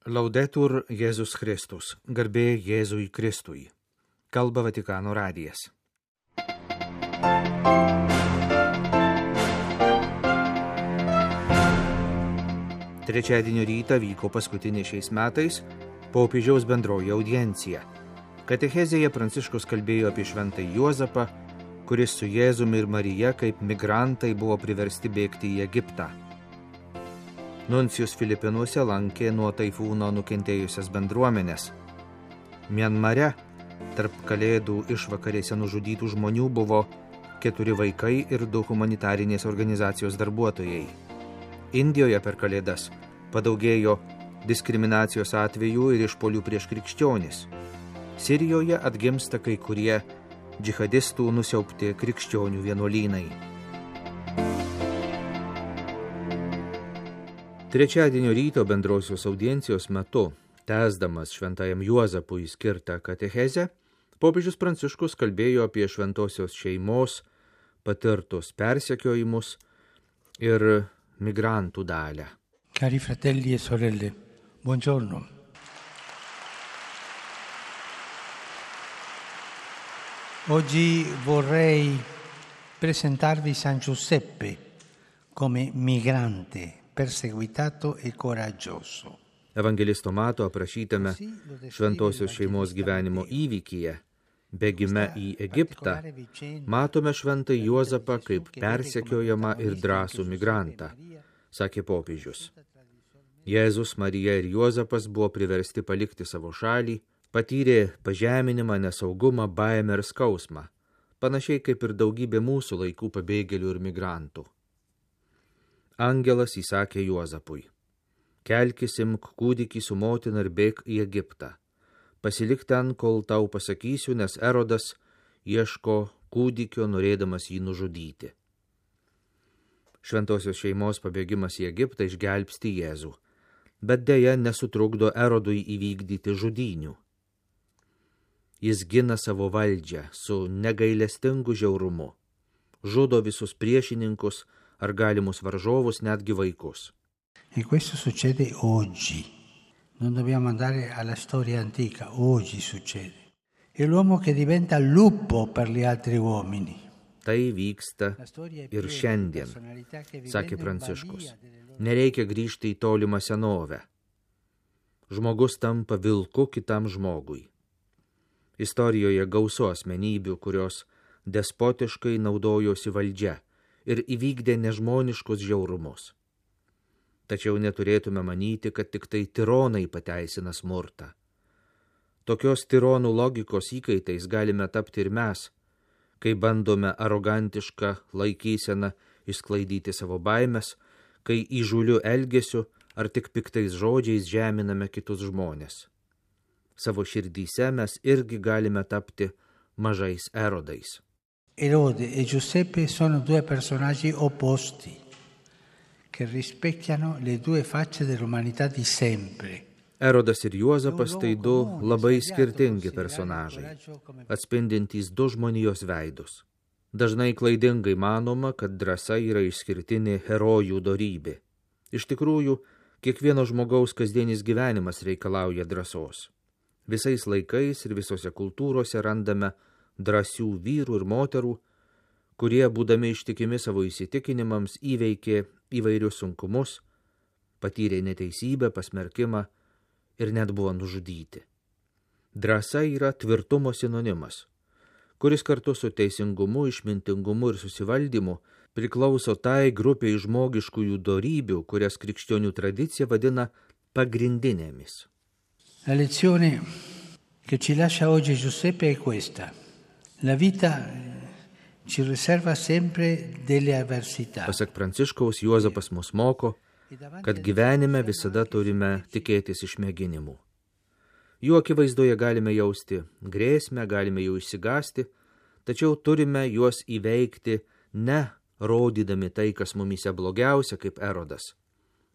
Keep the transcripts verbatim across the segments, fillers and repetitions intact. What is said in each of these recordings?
Laudetur Jėzus Kristus, garbė Jėzui Kristui. Kalba Vatikano radijas. Trečiadienio rytą vyko paskutinė šiais metais popiežiaus bendroji audiencija. Katechezėje Pranciškus kalbėjo apie šventąjį Juozapą, kuris su Jėzumi ir Marija kaip migrantai buvo priversti bėgti į Egiptą. Nuncijus Filipinuose lankė nuo taifūno nukentėjusias bendruomenės. Mianmare tarp kalėdų išvakarėse nužudytų žmonių buvo keturi vaikai ir du humanitarinės organizacijos darbuotojai. Indijoje per kalėdas padaugėjo diskriminacijos atvejų ir išpuolių prieš krikščionis. Sirijoje atgimsta kai kurie džihadistų nusiaubti krikščionių vienuolynai. Trečiadienio ryto bendrosios audiencijos metu, tęsdamas šventajam Juozapui skirtą katechezę, popiežius Pranciškus kalbėjo apie šventosios šeimos patirtus persekiojimus ir migrantų dalią. Cari fratelli e sorelle, buongiorno. Oggi vorrei presentarvi San Giuseppe come migrante perseguitato e coraggioso. Evangelisto Mato aprašytame šventosios šeimos gyvenimo įvykyje, bėgime į Egiptą, matome šventąjį Juozapą kaip persekiojamą ir drąsų migrantą, sakė popiežius. Jėzus, Marija ir Juozapas buvo priversti palikti savo šalį, patyrė pažeminimą, nesaugumą, baimę ir skausmą, panašiai kaip ir daugybė mūsų laikų pabėgėlių ir migrantų. Angelas įsakė Juozapui: kelkis, imk kūdikį su motina ir bėk į Egiptą. Pasilik ten, kol tau pasakysiu, nes Erodas ieško kūdikio, norėdamas jį nužudyti. Šventosios šeimos pabėgimas į Egiptą išgelbsti Jėzų, bet deja nesutrukdo Erodui įvykdyti žudynių. Jis gina savo valdžią su negailestingu žiaurumu, žudo visus priešininkus ar galimus varžovus, netgi vaikus. E questo succede oggi. Non dobbiamo andare alla storia antica, oggi succede. È l'uomo che diventa lupo per gli altri uomini. Tai vyksta ir šiandien, sakė Pranciškus. Nereikia grįžti į tolimą senovę. Žmogus tampa vilku kitam žmogui. Istorijoje gausu asmenybių, kurios despotiškai naudojosi valdžia ir įvykdė nežmoniškus žiaurumus. Tačiau neturėtume manyti, kad tik tai tironai pateisina smurtą. Tokios tironų logikos įkaitais galime tapti ir mes, kai bandome arogantišką laikyseną išsklaidyti savo baimes, kai įžūliu elgesiu ar tik piktais žodžiais žeminame kitus žmonės. Savo širdyse mes irgi galime tapti mažais erodais. Erode e Giuseppe sono due personaggi opposti che rispecchiano le due facce dell'umanità di sempre. Erodas ir Juozapas tai du labai skirtingi personažai, atspindintys du žmonijos veidus. Dažnai klaidingai manoma, kad drąsa yra išskirtinė herojų dorybė. Iš tikrųjų, kiekvieno žmogaus kasdienis gyvenimas reikalauja drąsos. Visais laikais ir visose kultūrose randame drąsių vyrų ir moterų, kurie, būdami ištikimi savo įsitikinimams, įveikė įvairius sunkumus, patyrė neteisybę, pasmerkimą ir net buvo nužudyti. Drąsa yra tvirtumo sinonimas, kuris kartu su teisingumu, išmintingumu ir susivaldymu priklauso tai grupiai žmogiškųjų dorybių, kurias krikščionių tradicija vadina pagrindinėmis. La lezione che ci lascia oggi Giuseppe è questa. La vita ci riserva sempre delle avversità. Pasak Pranciškaus, Juozapas mus moko, kad gyvenime visada turime tikėtis išmėginimų. Jų akivaizdoje galime jausti grėsmę, galime jų išsigąsti, tačiau turime juos įveikti ne rodydami tai, kas mumyse blogiausia kaip Erodas,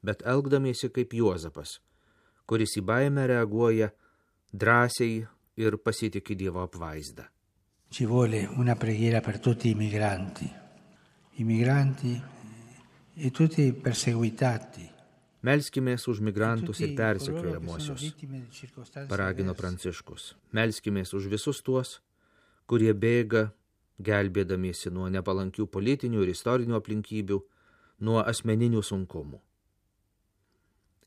bet elgdamiesi kaip Juozapas, kuris į baimę reaguoja drąsiai ir pasitiki Dievo apvaizdą. Ci vuole una preghiera per tutti i migranti, i migranti e tutti i perseguitati, Melskimės už migrantus ir persekiojamuosius, paragino Pranciškus. Melskimės už visus tuos, kurie bėga, gelbėdamiesi nuo nepalankių politinių ir istorinių aplinkybių, nuo asmeninių sunkumų.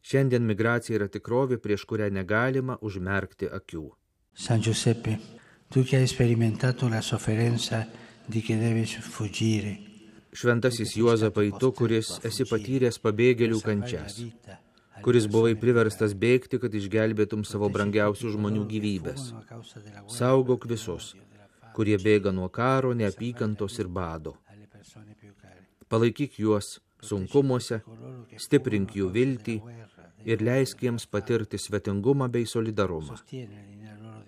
Šiandien migracija yra tikrovė, prieš kurią negalima užmerkti akių. San Giuseppe, tu che hai sperimentato la sofferenza di chi deve fuggire. Šventasis Juozapai, tu, kuris esi patyręs pabėgėlių kančias, kuris buvai priverstas bėgti, kad išgelbėtum savo brangiausių žmonių gyvybės. Saugok visus, kurie bėga nuo karo, neapykantos ir bado. Palaikyk juos sunkumuose, stiprink jų viltį ir leisk jiems patirti svetingumą bei solidarumą.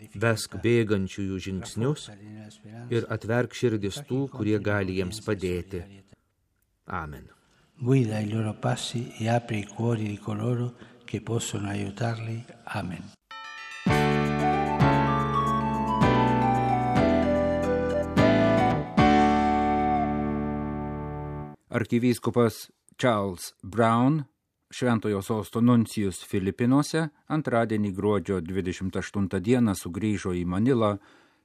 Vesk bėgančiųjų žingsnius ir atverk širdis tų, kurie gali jiems padėti. Amen. Guida i loro passi e apri i cuori di coloro che possono aiutarli. Amen. Arkivyskupas Charles Brown, Šventojo sosto nuncijus Filipinuose, antradienį gruodžio dvidešimt aštuntą dieną sugrįžo į Manilą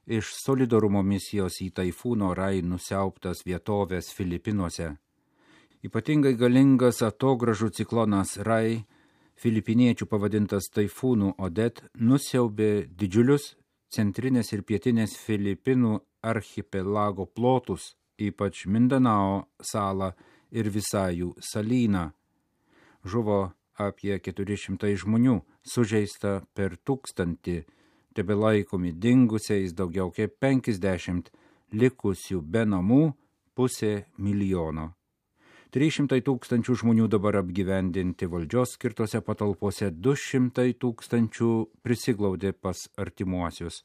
iš solidarumo misijos į taifūno Rai nusiaubtas vietovės Filipinuose. Ypatingai galingas atogražų ciklonas Rai, filipiniečių pavadintas taifūnų Odet, nusiaubė didžiulius centrinės ir pietinės Filipinų archipelago plotus, ypač Mindanao salą ir Visajų salyną. Žuvo apie keturi šimtai žmonių, sužeista per tūkstantį, tebelaikomi dingusiais daugiau kaip penkiasdešimt, likusių be namų pusė milijono. trys šimtai tūkstančių žmonių dabar apgyvendinti valdžios skirtose patalpose, du šimtai tūkstančių prisiglaudė pas artimuosius.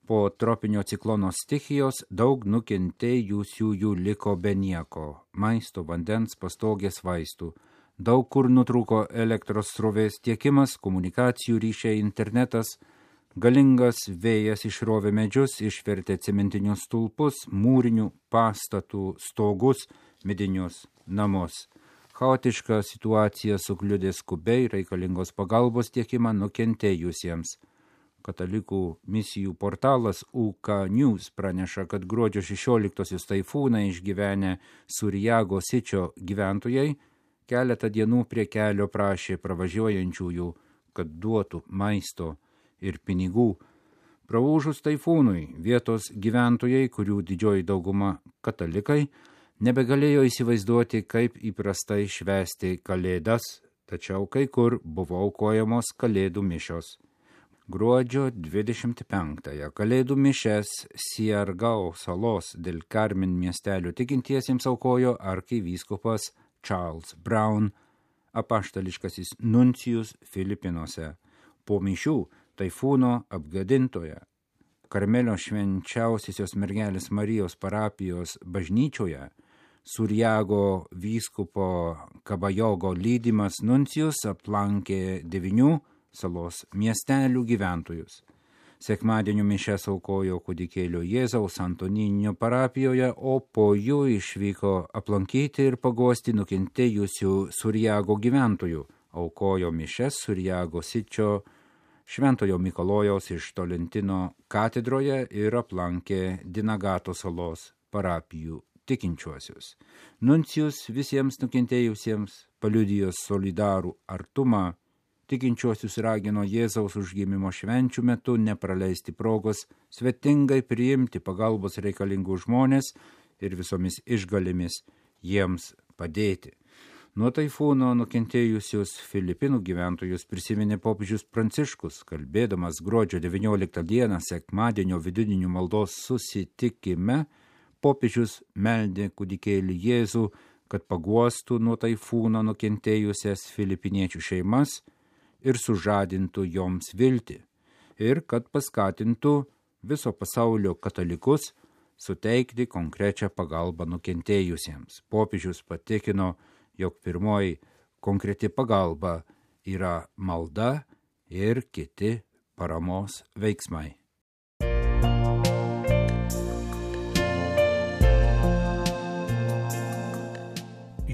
Po tropinio ciklono stichijos daug nukentėjusiųjų liko be nieko, maisto, vandens, pastogės, vaistų. Daug kur nutrūko elektros srovės tiekimas, komunikacijų ryšiai, internetas, galingas vėjas išrovė medžius, išvertė cementinius stulpus, mūrinių pastatų stogus, medinius namus. Chaotiška situacija sukliudė skubiai reikalingos pagalbos tiekimą nukentėjusiems. Katalikų misijų portalas U K News praneša, kad gruodžio šešioliktosios taifūną išgyvenę Surjago Sičio gyventojai keletą dienų prie kelio prašė pravažiuojančiųjų, kad duotų maisto ir pinigų. Praūžus taifūnui vietos gyventojai, kurių didžioji dauguma katalikai, nebegalėjo įsivaizduoti, kaip įprastai švęsti kalėdas, tačiau kai kur buvo aukojamos kalėdų mišios. Gruodžio dvidešimt penktąją kalėdų mišes Siargao salos del Carmen miestelio tikintiesiems aukojo arkivyskupas Charles Brown, apaštališkasis nuncijus Filipinuose. Po mišių taifūno apgadintoje Karmelio švenčiausiosios mergelės Marijos parapijos bažnyčioje Surjago vyskupo Kabajogo lydimas nuncijus aplankė devynių salos miestelių gyventojus. Sekmadienio mišes aukojo kūdikėlio Jėzaus Antoninio parapijoje, o po jų išvyko aplankyti ir paguosti nukentėjusių Surjago gyventojų. Aukojo mišes Surjago Sičio Šventojo Mikalojaus iš Tolentino katedroje ir aplankė Dinagato salos parapijų tikinčiuosius. Nuncijus visiems nukentėjusiems paliudijo solidarų artumą. Tikinčiuosius ragino Jėzaus užgimimo švenčių metu nepraleisti progos svetingai priimti pagalbos reikalingų žmonės ir visomis išgalėmis jiems padėti. Nuo taifūno nukentėjusius Filipinų gyventojus prisiminė popiežius Pranciškus, kalbėdamas gruodžio devynioliktą dieną sekmadienio vidudinių maldos susitikime. Popiežius meldė kūdikėlį Jėzų, kad paguostų nuo taifūno nukentėjusias filipiniečių šeimas ir sužadintų joms viltį, ir kad paskatintų viso pasaulio katalikus suteikti konkrečią pagalbą nukentėjusiems. Popiežius patikino, jog pirmoji konkreti pagalba yra malda ir kiti paramos veiksmai.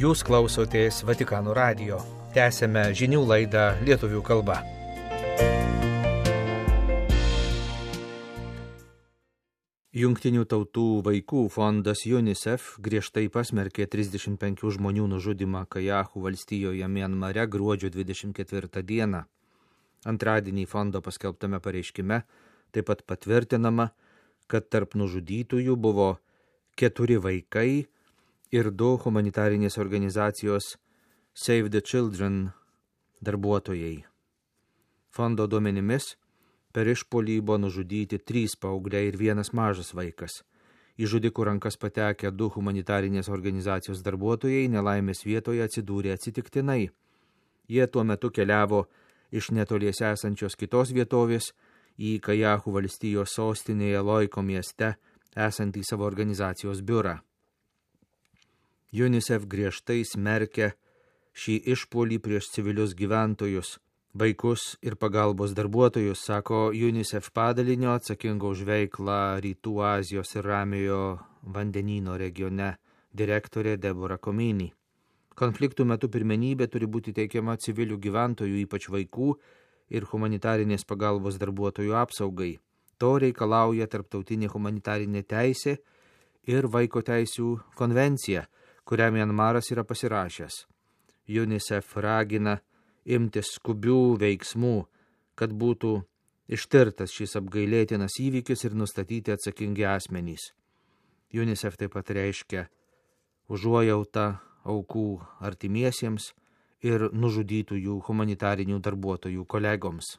Jūs klausotės Vatikano radijo. Tęsėme žinių laidą lietuvių kalba. Jungtinių tautų vaikų fondas UNICEF griežtai pasmerkė trisdešimt penkių žmonių nužudymą Kajahų valstijoje Mianmare gruodžio dvidešimt ketvirtą dieną. Antradienį fondo paskelbtame pareiškime taip pat patvirtinama, kad tarp nužudytųjų buvo keturi vaikai ir du humanitarinės organizacijos Save the Children darbuotojai. Fondo duomenimis per išpuolį buvo nužudyti trys paaugliai ir vienas mažas vaikas. Į žudikų rankas patekę du humanitarinės organizacijos darbuotojai nelaimės vietoje atsidūrė atsitiktinai. Jie tuo metu keliavo iš netoliese esančios kitos vietovės į Kajahų valstijos sostinėje Loiko mieste esantį savo organizacijos biurą. UNICEF griežtai smerkia šį išpuolį prieš civilius gyventojus, vaikus ir pagalbos darbuotojus, sako UNICEF padalinio atsakingo už veiklą Rytų Azijos ir Ramiojo vandenyno regione direktorė Deborah Comini. Konfliktų metu pirmenybė turi būti teikiama civilių gyventojų, ypač vaikų ir humanitarinės pagalbos darbuotojų apsaugai. To reikalauja tarptautinė humanitarinė teisė ir vaiko teisių konvencija, kurią Mianmaras yra pasirašęs. UNICEF ragina imtis skubių veiksmų, kad būtų ištirtas šis apgailėtinas įvykis ir nustatyti atsakingi asmenys. UNICEF taip pat reiškia užuojautą aukų artimiesiems ir nužudytųjų humanitarinių darbuotojų kolegoms.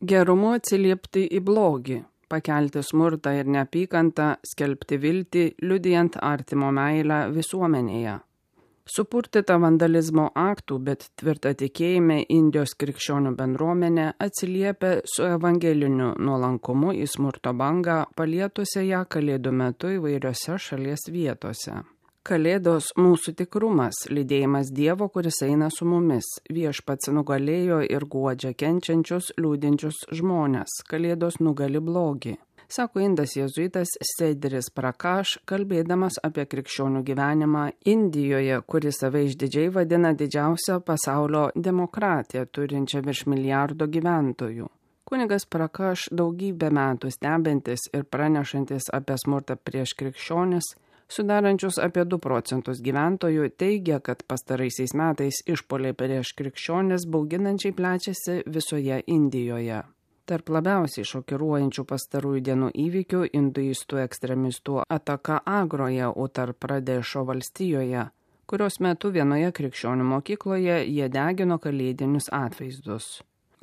Gerumu atsiliepti į blogį, pakelti smurtą ir neapykantą, skelbti viltį, liudijant artimo meilę visuomenėje. Supurtyta vandalizmo aktų, bet tvirta tikėjime Indijos krikščionių bendruomenė atsiliepia su evangeliniu nuolankumu į smurto bangą, palietusią ją Kalėdų metu įvairiose šalies vietose. Kalėdos mūsų tikrumas, lydėjimas Dievo, kuris eina su mumis. Viešpats nugalėjo ir guodžia kenčiančius, liūdinčius žmones. Kalėdos nugali blogį, sako indas jėzuitas Sederis Prakash, kalbėdamas apie krikščionių gyvenimą Indijoje, kuris save išdidžiai vadina didžiausia pasaulio demokratija, turinčia virš milijardo gyventojų. Kunigas Prakash daugybę metų stebintis ir pranešantis apie smurtą prieš krikščionis, sudarančius apie du procentus gyventojų, teigia, kad pastaraisiais metais išpuoliai prieš krikščionis bauginančiai plečiasi visoje Indijoje. Tarp labiausiai šokiruojančių pastarųjų dienų įvykių hinduistų ekstremistų ataka Agroje, Utar Pradešo valstijoje, kurios metu vienoje krikščionių mokykloje jie degino kalėdinius atvaizdus.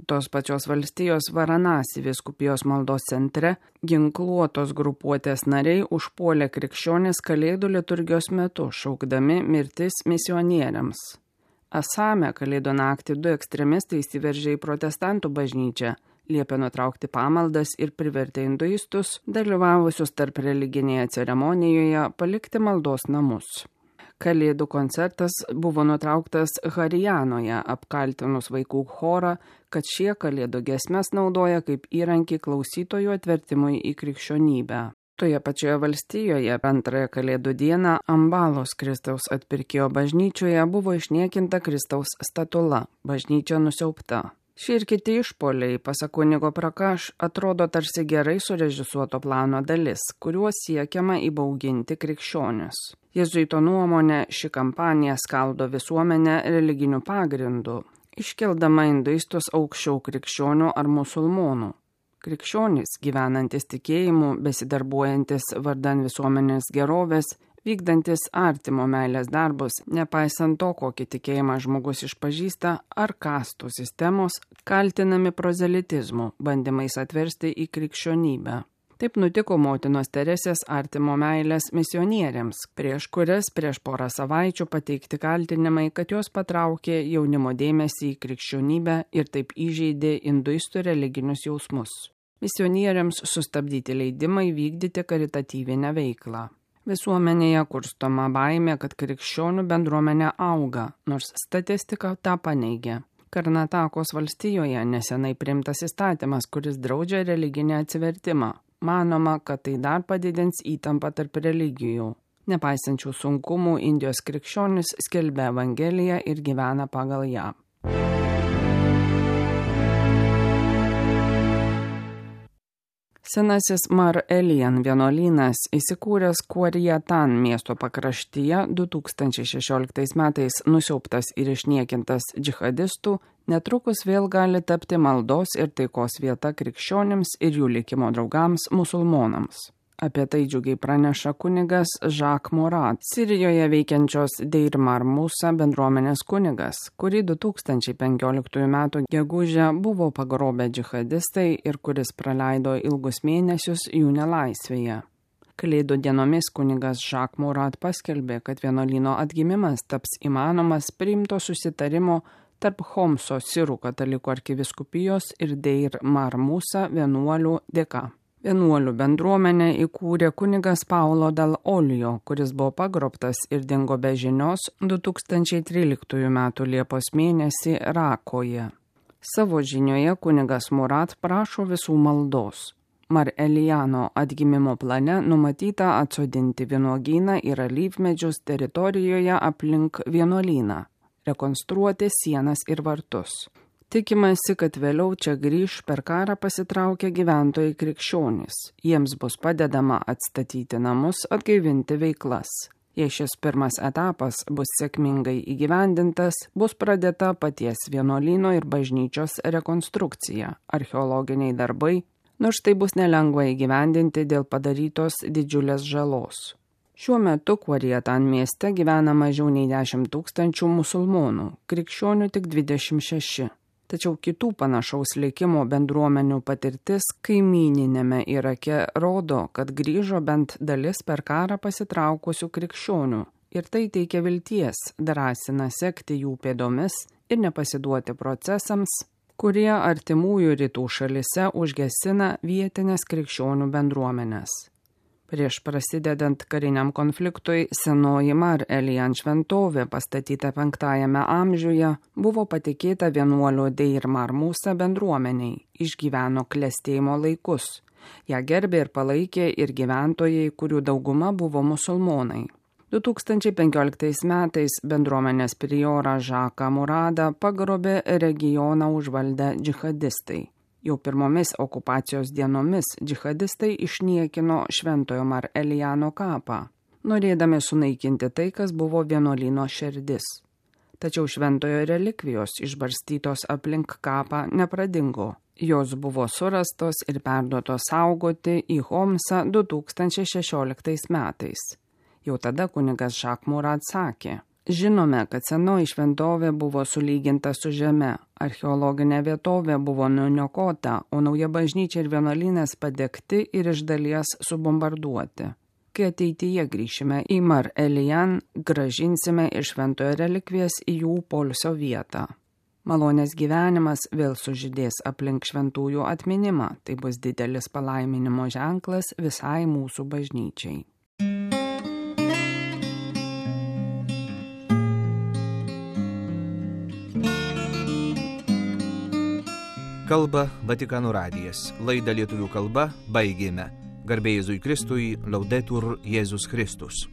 Tos pačios valstijos Varanasi vyskupijos maldos centre ginkluotos grupuotės nariai užpuolė krikščionis Kalėdų liturgijos metu, šaukdami mirtis misionieriams. Asame Kalėdų naktį du ekstremistai įsiveržė į protestantų bažnyčią, liepė nutraukti pamaldas ir privertė hinduistus, dalyvavusius tarp religinėje ceremonijoje, palikti maldos namus. Kalėdų koncertas buvo nutrauktas Harijanoje, apkaltinus vaikų chorą, kad šie kalėdų giesmes naudoja kaip įrankį klausytojų atvertimui į krikščionybę. Toje pačioje valstijoje antrąją kalėdų dieną Ambalos Kristaus atpirkėjo bažnyčioje buvo išniekinta Kristaus statula, bažnyčia nusiaubta. Šie ir kiti išpuoliai, pasak kunigo Prakash, atrodo tarsi gerai surežisuoto plano dalis, kuriuo siekiama įbauginti krikščionis. Jėzuito nuomonė, ši kampanija skaldo visuomenę religiniu pagrindu, iškeldama hinduistus aukščiau krikščionių ar musulmonų. Krikščionys, gyvenantis tikėjimu, besidarbuojantis vardan visuomenės gerovės, vykdantis artimo meilės darbus, nepaisant to, kokį tikėjimą žmogus išpažįsta, ar kastų sistemos, kaltinami prozelitizmu, bandymais atversti į krikščionybę. Taip nutiko motinos Teresės artimo meilės misionieriams, prieš kurias prieš porą savaičių pateikti kaltinimai, kad jos patraukė jaunimo dėmesį į krikščionybę ir taip įžeidė hinduistų religinius jausmus. Misionieriams sustabdyti leidimai vykdyti karitatyvinę veiklą. Visuomenėje kurstoma baimė, kad krikščionių bendruomenė auga, nors statistika tą paneigia. Karnatakos valstijoje nesenai priimtas įstatymas, kuris draudžia religinį atsivertimą. Manoma, kad tai dar padidins įtampą tarp religijų. Nepaisančių sunkumų, Indijos krikščionis skelbia Evangeliją ir gyvena pagal ją. Senasis Mar Elian vienuolynas įsikūręs Kuariatan miesto pakraštyje du tūkstančiai šešioliktais metais nusiaubtas ir išniekintas džihadistų, netrukus vėl gali tapti maldos ir taikos vieta krikščionims ir jų likimo draugams musulmonams. Apie tai džiugiai praneša kunigas Jacques Morat, Sirijoje veikiančios Deir Mar Musa bendruomenės kunigas, kurį du tūkstančiai penkioliktųjų metų gegužę buvo pagrobę džihadistai ir kuris praleido ilgus mėnesius jų nelaisvėje. Kalėdų dienomis kunigas Jacques Morat paskelbė, kad vienuolyno atgimimas taps įmanomas priimto susitarimo tarp Homso sirų katalikų arkivyskupijos ir Deir Mar Musa vienuolių dėka. Vienuolių bendruomenę įkūrė kunigas Paulo Dal Olio, kuris buvo pagrobtas ir dingo be žinios du tūkstančiai tryliktųjų metų Liepos mėnesį Rakoje. Savo žinioje kunigas Murat prašo visų maldos. Mar Eliano atgimimo plane numatyta atsodinti vynuogyną ir alyvmedžius teritorijoje aplink vienuolyną, rekonstruoti sienas ir vartus. Tikimasi, kad vėliau čia grįž per karą pasitraukę gyventojai krikščionys. Jiems bus padedama atstatyti namus, atgaivinti veiklas. Jei šis pirmas etapas bus sėkmingai įgyvendintas, bus pradėta paties vienuolyno ir bažnyčios rekonstrukcija, archeologiniai darbai, nors tai bus nelengva įgyvendinti dėl padarytos didžiulės žalos. Šiuo metu Kuariatan mieste gyvena mažiau nei dešimt tūkstančių musulmonų, krikščionių tik dvidešimt šeši. Tačiau kitų panašaus likimo bendruomenių patirtis kaimyninėme Irake rodo, kad grįžo bent dalis per karą pasitraukusių krikščionių ir tai teikia vilties, drąsina sekti jų pėdomis ir nepasiduoti procesams, kurie artimųjų rytų šalise užgesina vietinės krikščionių bendruomenės. Prieš prasidedant kariniam konfliktui, senoji Mar Elian šventovė, pastatyta penktajame amžiuje, buvo patikėta vienuolio Deir Mar Musa bendruomeniai, išgyveno klestėjimo laikus. Ją gerbė ir palaikė ir gyventojai, kurių dauguma buvo musulmonai. du tūkstančiai penkioliktais metais bendruomenės priorą Žaką Muradą pagrobė regioną užvaldę džihadistai. Jau pirmomis okupacijos dienomis džihadistai išniekino Šventojo Mar Eliano kapą, norėdami sunaikinti tai, kas buvo vienuolyno širdis. Tačiau šventojo relikvijos išbarstytos aplink kapą nepradingo. Jos buvo surastos ir perduotos saugoti į Homsą du tūkstančiai šešioliktais metais. Jau tada kunigas Jacques Morat sakė: žinome, kad senoji šventovė buvo sulyginta su žeme, archeologinė vietovė buvo nuniokota, o nauja bažnyčia ir vienuolynas padegti ir iš dalies subombarduoti. Kai ateityje grįšime į Mar Elian, grąžinsime iš šventojo relikvijas į jų poilsio vietą. Malonės gyvenimas vėl sužydės aplink šventųjų atminimą, tai bus didelis palaiminimo ženklas visai mūsų bažnyčiai. Kalba Vatikano radijas. Laidą lietuvių kalba baigėme. Garbė Jėzui Kristui, Laudetur Jėzus Kristus.